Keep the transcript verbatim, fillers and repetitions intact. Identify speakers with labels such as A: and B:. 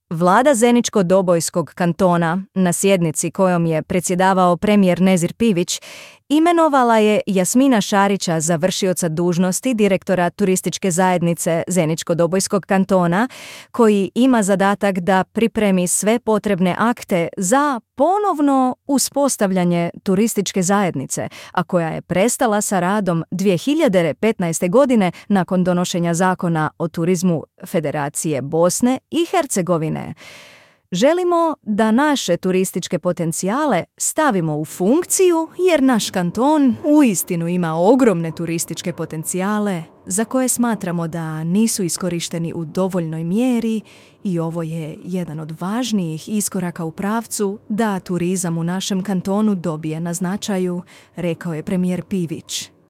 A: Vlada Zeničko-Dobojskog kantona, na sjednici kojom je predsjedavao premijer Nezir Pivić, imenovala je Jasmina Šarića za vršioca dužnosti direktora turističke zajednice Zeničko-Dobojskog kantona, koji ima zadatak da pripremi sve potrebne akte za ponovno uspostavljanje turističke zajednice, a koja je prestala sa radom dvije hiljade petnaeste. godine nakon donošenja zakona o turizmu Federacije Bosne i Hercegovine. Želimo da naše turističke potencijale stavimo u funkciju jer naš kanton uistinu ima ogromne turističke potencijale za koje smatramo da nisu iskorišteni u dovoljnoj mjeri i ovo je jedan od važnijih iskoraka u pravcu da turizam u našem kantonu dobije na značaju, rekao je premijer Pivić.